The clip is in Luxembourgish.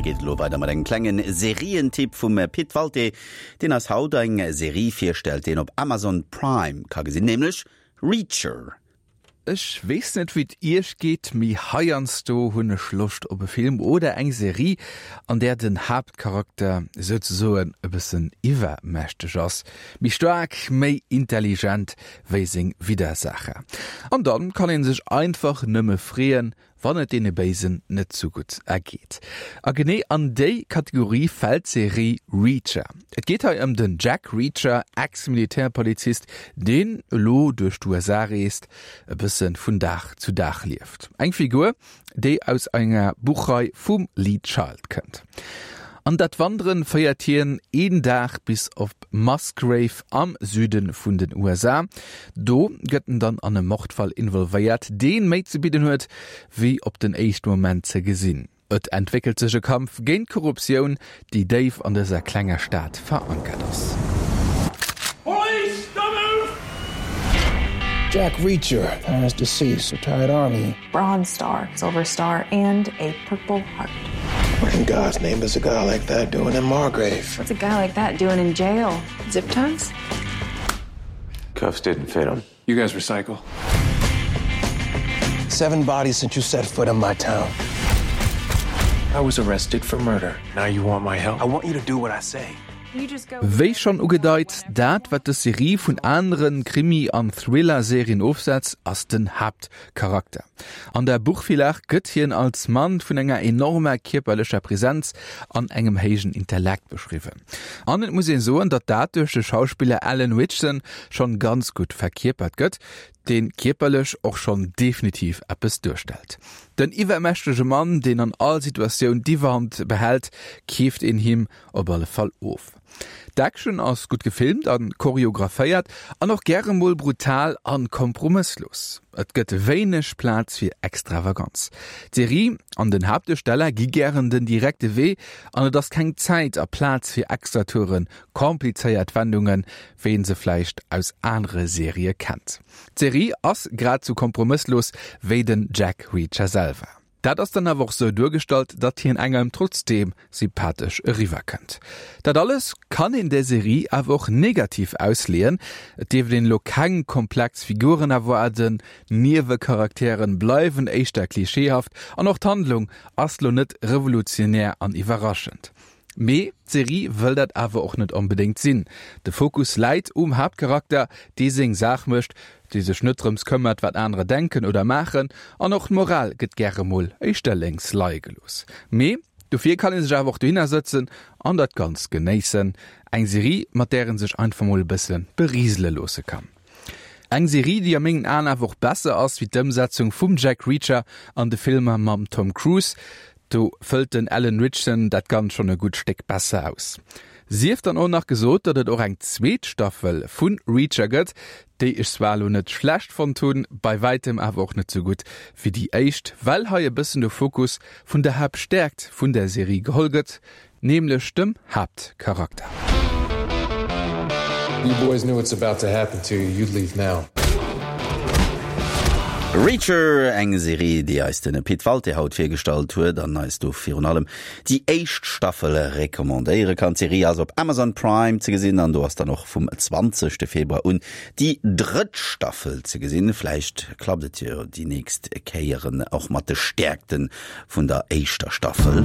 An da geet et elo weider mat engem klengen Serientipp vum Pit Walté, deen eis haut eng Serie virstellt, déi een op Amazon Prime ka gesinn, nämlech Reacher. Ech weess net wéi et iech geet, mee heiansdo hunn ech Loscht op e Film oder eng Serie, an där den Haaptcharakter souzesoen e bëssen iwwermächteg ass, méi staark, méi intelligent wéi seng Widdersacher. An dann kann een sech einfach nëmme freeën, wann et deene Béisen net sou gutt ergeet. A genee an déi Kategorie fält d'Serie Reacher. Et geet hei ëm den Jack Reacher, Ex-Militärpolizist, deen elo duerch d'USA reest, e bësse vun Dag zu Dag lieft. Eng Figur, déi aus enger Buchrei vum Lee Child kënnt. An dat Wanderen féiert hien een Dag bis op Musgrave am Süde vun den USA. Do gëtt en dann an e Mordfall involvéiert, deen méi ze bidden huet, wéi op den éischte Moment ze gesinn. Et entwéckelt sech e Kampf géint d'Korruptioun, déi déif an dëser klenger Stad verankert ass. Police, don't move! Jack Reacher has deceased, retired army. Bronze Star, Silver Star and a Purple Heart. What in God's name is a guy like that doing in Margrave? What's a guy like that doing in jail? Zip ties? Cuffs didn't fit him. You guys recycle? Seven bodies since you set foot in my town. I was arrested for murder. Now you want my help? I want you to do what I say. Wéi schonn ugedeit, dat wat dës Serie vun anere Krimi an Thriller-Serien ofsetzt, ass den Haaptcharakter. An der Buchvirlag gëtt hien als Mann vun enger enormer kierperlecher Präsenz an engem héijen Intellekt beschriwwen. An et muss een soen, datt dat duerch de Schauspiller Alan Ritchson schonn ganz gutt verkierpert gëtt, deen kierperlech och schonn definitiv eppes duerstellt. Den iwwermächtege Mann, deen an all Situatioun d'Iwwerhand behält, keeft een him op alle Fall of. D'Action ass gutt gefilmt a choreographéiert an och gäre mol brutal an kompromësslos. Et gëtt wéineg Plaz fir Extravaganz. D'Serie an den Haaptduersteller gi gären den direkte Wee an et ass keng Zäit a Plaz fir Extratouren, komplizéiert Wendungen, wéi een se vläicht aus anere Serië kennt. D'Serie ass grad sou kompromësslos wéi den Jack Reacher selwer. Dat ass dann awer och sou duergestallt, datt hien engem trotzdeem sympathesch eriwwer kënnt. Dat alles kann een der Serie awer och negativ ausleeën. Et dierft een elo keng komplex Figuren erwaarden, Niewecharakteren bleiwen éischter klischeehaft an och d'Handlung ass lo net revolutionär an iwwerraschend. Mee d'Serie wëll dat awer och net onbedéngt sinn. De Fokus läit um Haaptcharakter, dee seng Saach mécht, dee sech net drëms këmmert, wat anerer denken oder maachen, an och d'Moral gëtt gäre mol éischter lénks leie gelooss. Mee dofir kann ee sech awer och dohinner sëtzen an dat Ganzt genéissen. Eng Serie, mat där ee sech einfach mol e bësse berisele loosse kann. Eng Serie, déi a mengen Aen awer och besser ass wéi d'Ëmsetzung vum Jack Reacher an de Filmer mam Tom Cruise. Do fëllt den Alan Ritchson dat Ganzt schonn e gutt Stéck besser aus. Sief dann och nach gesot, datt et och eng zweet Staffel vu Reacher gëtt, déi ech zwar elo net schlecht fonnt hunn, bei wäitem awer och net sou gutt wéi déi éischt, well hei e bëssen de Fokus vun der Haaptstäerkt vun der Serie geholl gëtt, nämlech dem Haaptcharakter. You boys knew what's about to happen to you, you'd leave now. Reacher, eng Serie, déi eis de Pit Walté haut virgestallt huet an eis do virun allem déi éischt Staffel recommandéiere kann. D'Serie ass op Amazon Prime ze gesinn an do ass dann och vum 20 Februar un déi drëtt Staffel ze gesinn. Vläicht klappt et jo déi nächst Kéieren och mat de Stäerkte vun der éischter Staffel.